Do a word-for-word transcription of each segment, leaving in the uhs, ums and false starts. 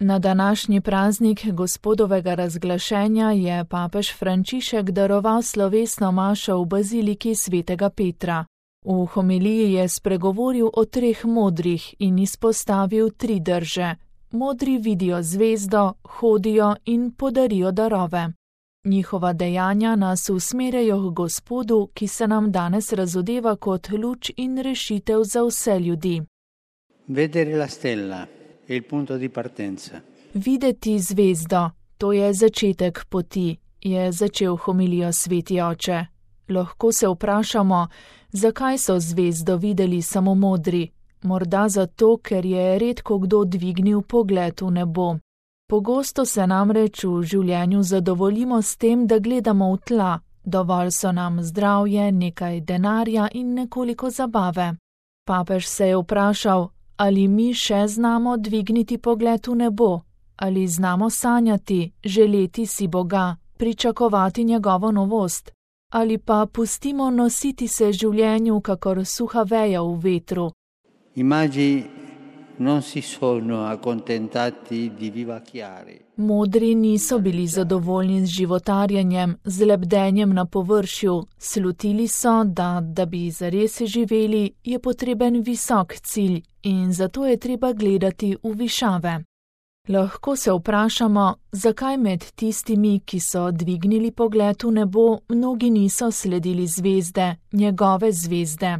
Na današnji praznik Gospodovega razglašenja je papež Frančišek daroval slovesno mašo v baziliki svetega Petra. V homiliji je spregovoril o treh modrih in izpostavil tri drže. Modri vidijo zvezdo, hodijo in podarijo darove. Njihova dejanja nas usmerjajo k Gospodu, ki se nam danes razodeva kot luč in rešitev za vse ljudi. Vedere la stella è il punto di partenza. Videti zvezdo, to je začetek poti, je začel homilijo sveti oče. Lahko se vprašamo, zakaj so zvezdo videli samo modri? Morda zato, ker je redko kdo dvignil pogled v nebo. Pogosto se namreč v življenju zadovoljimo s tem, da gledamo v tla, dovolj so nam zdravje, nekaj denarja in nekoliko zabave. Papež se je vprašal, ali mi še znamo dvigniti pogled v nebo, ali znamo sanjati, želeti si Boga, pričakovati njegovo novost, ali pa pustimo nositi se življenju kakor suha veja v vetru. I magi non si sono accontentati di vivacchiare. Modri niso bili zadovoljni z životarjenjem, z lebdenjem na površju, slutili so, da, da bi zares živeli, je potreben visok cilj in zato je treba gledati v višave. Lahko se vprašamo, zakaj med tistimi, ki so dvignili pogled v nebo, mnogi niso sledili zvezde, njegove zvezde.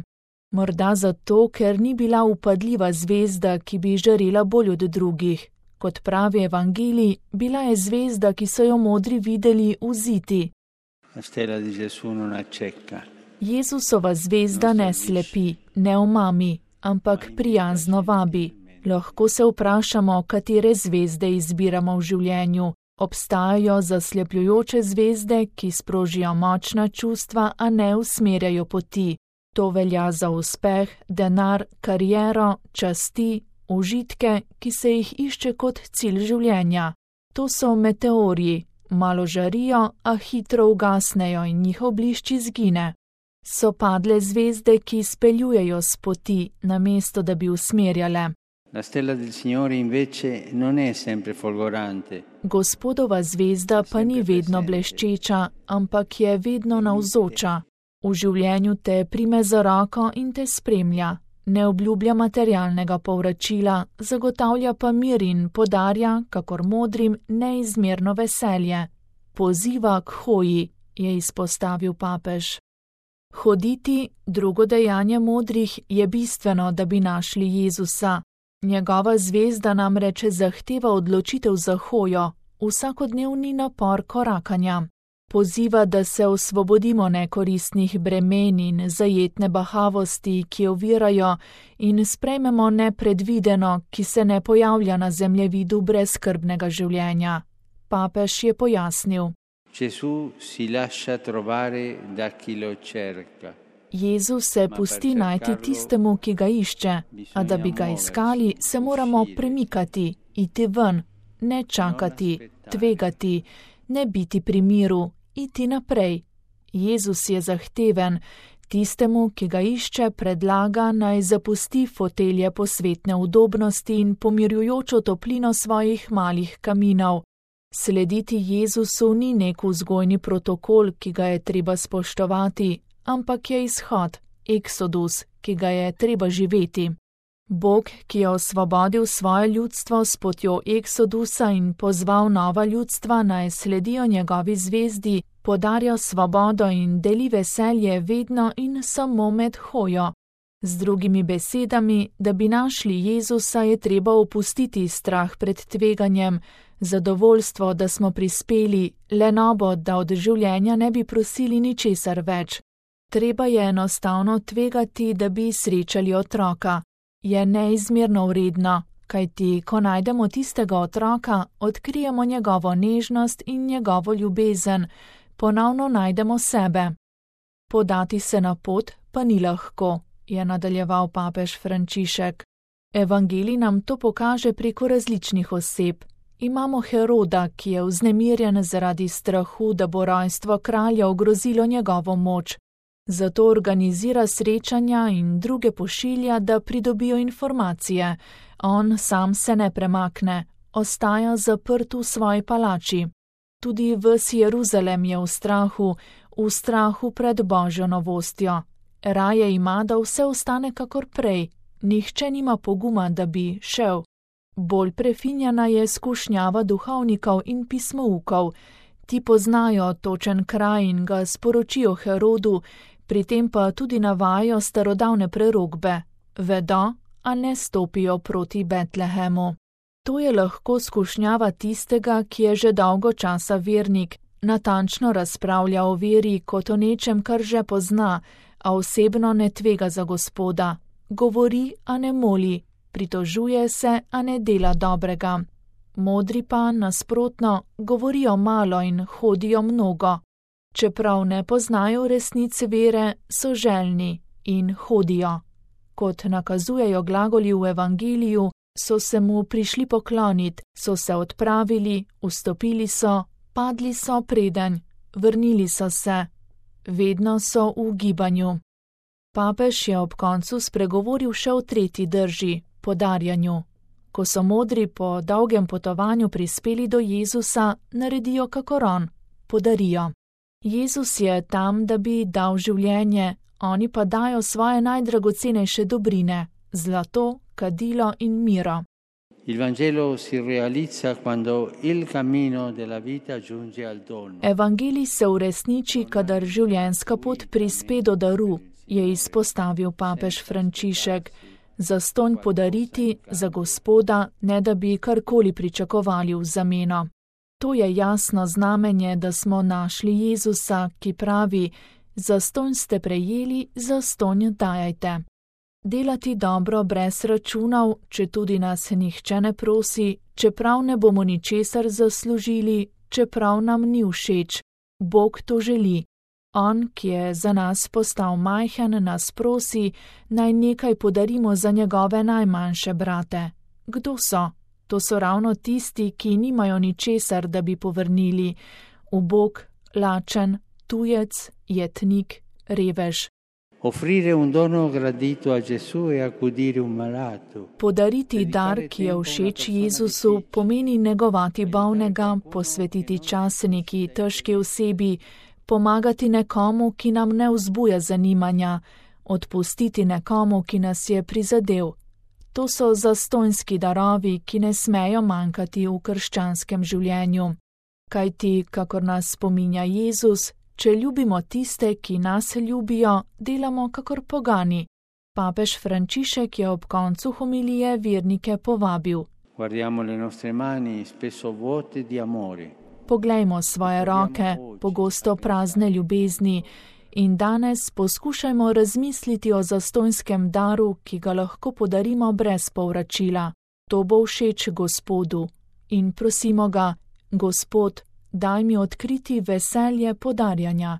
Morda zato, ker ni bila upadljiva zvezda, ki bi žarela bolj od drugih. Kot pravi evangelij, bila je zvezda, ki so jo modri videli v ziti. Jezusova zvezda ne slepi, ne omami, ampak prijazno vabi. Lahko se vprašamo, katere zvezde izbiramo v življenju. Obstajajo zaslepljujoče zvezde, ki sprožijo močna čustva, a ne usmerjajo poti. To velja za uspeh, denar, kariero, časti, užitke, ki se jih išče kot cilj življenja. To so meteorji, malo žarijo, a hitro ugasnejo in njihov blišč izgine. So padle zvezde, ki speljujejo s poti, namesto da bi usmerjale. La stella del Signore invece non è sempre folgorante. Gospodova zvezda pa ni vedno bleščeča, ampak je vedno navzoča. V življenju te prime za roko in te spremlja, ne obljublja materialnega povračila, zagotavlja pa mir in podarja, kakor modrim, neizmerno veselje. Poziva k hoji, je izpostavil papež. Hoditi, drugo dejanje modrih, je bistveno, da bi našli Jezusa. Njegova zvezda namreč zahteva odločitev za hojo, vsakodnevni napor korakanja. Poziva, da se osvobodimo nekoristnih bremen in zajetne bahavosti, ki ovirajo, in sprejmemo nepredvideno, ki se ne pojavlja na zemljevidu brezskrbnega življenja. Papež je pojasnil. Jezus se pusti najti tistemu, ki ga išče, a da bi ga iskali, se moramo premikati, iti ven, ne čakati, tvegati, ne biti pri miru, iti naprej. Jezus je zahteven, tistemu, ki ga išče, predlaga, naj zapusti fotelje posvetne udobnosti in pomirjujočo toplino svojih malih kaminov. Slediti Jezusu ni nek vzgojni protokol, ki ga je treba spoštovati, ampak je izhod, eksodus, ki ga je treba živeti. Bog, ki je osvobodil svoje ljudstvo s potjo eksodusa in pozval nova ljudstva naj sledijo njegovi zvezdi, podarja svobodo in deli veselje vedno in samo med hojo. Z drugimi besedami, da bi našli Jezusa, je treba opustiti strah pred tveganjem, zadovoljstvo, da smo prispeli, lenobo, da od življenja ne bi prosili ničesar več. Treba je enostavno tvegati, da bi srečali otroka. Je neizmerno vredno, kajti ko najdemo tistega otroka, odkrijemo njegovo nežnost in njegovo ljubezen, ponovno najdemo sebe. Podati se na pot pa ni lahko, je nadaljeval papež Frančišek. Evangelij nam to pokaže preko različnih oseb. Imamo Heroda, ki je vznemirjen zaradi strahu, da bo rojstvo kralja ogrozilo njegovo moč. Zato organizira srečanja in druge pošilja, da pridobijo informacije. On sam se ne premakne, ostaja zaprt v svoji palači. Tudi ves Jeruzalem je v strahu, v strahu pred Božjo novostjo. Raje ima, da vse ostane kakor prej, nihče nima poguma, da bi šel. Bolj prefinjena je skušnjava duhovnikov in pismoukov. Ti poznajo točen kraj in ga sporočijo Herodu, pri tem pa tudi navajajo starodavne prerokbe. Vedo, a ne stopijo proti Betlehemu. To je lahko skušnjava tistega, ki je že dolgo časa vernik, natančno razpravlja o veri kot o nečem, kar že pozna, a osebno ne tvega za Gospoda. Govori, a ne moli, pritožuje se, a ne dela dobrega. Modri pa, nasprotno, govorijo malo in hodijo mnogo. Čeprav ne poznajo resnice vere, so željni in hodijo. Kot nakazujejo glagoli v evangeliju, so se mu prišli poklonit, so se odpravili, vstopili so, padli so predanj, vrnili so se. Vedno so v gibanju. Papež je ob koncu spregovoril še o tretji drži, podarjanju. Ko so modri po dolgem potovanju prispeli do Jezusa, naredijo kakor on, podarijo. Jezus je tam, da bi dal življenje, oni pa dajo svoje najdragocenejše dobrine, zlato, kadilo in miro. Il Vangelo si realizza quando il cammino della vita giunge al dono. Evangelij se uresniči, kadar življenjska pot prispe do daru, je izpostavil papež Frančišek. Zastonj podariti za Gospoda, ne da bi karkoli pričakovali v zameno. To je jasno znamenje, da smo našli Jezusa, ki pravi: zastonj ste prejeli, zastonj dajajte. Delati dobro brez računov, če tudi nas nihče ne prosi, čeprav ne bomo ničesar zaslužili, čeprav nam ni všeč. Bog to želi. On, ki je za nas postal majhen, nas prosi, naj nekaj podarimo za njegove najmanjše brate. Kdo so? To so ravno tisti, ki nimajo ničesar, da bi povrnili. Ubog, lačen, tujec, jetnik, revež. Offrire un dono gradito a Gesù e accudire un malato. Podariti dar, ki je všeč Jezusu, pomeni negovati bolnega, posvetiti čas neki težki osebi, pomagati nekomu, ki nam ne vzbuja zanimanja, odpustiti nekomu, ki nas je prizadel. To so zastonjski darovi, ki ne smejo manjkati v krščanskem življenju. Kajti, kakor nas spominja Jezus, če ljubimo tiste, ki nas ljubijo, delamo kakor pogani. Papež Frančišek je ob koncu homilije vernike povabil. Guardiamo le nostre mani, spesso vuote di amore. Poglejmo svoje roke, pogosto prazne ljubezni, in danes poskušajmo razmisliti o zastonjskem daru, ki ga lahko podarimo brez povračila. To bo všeč Gospodu. In prosimo ga: Gospod, daj mi odkriti veselje podarjanja.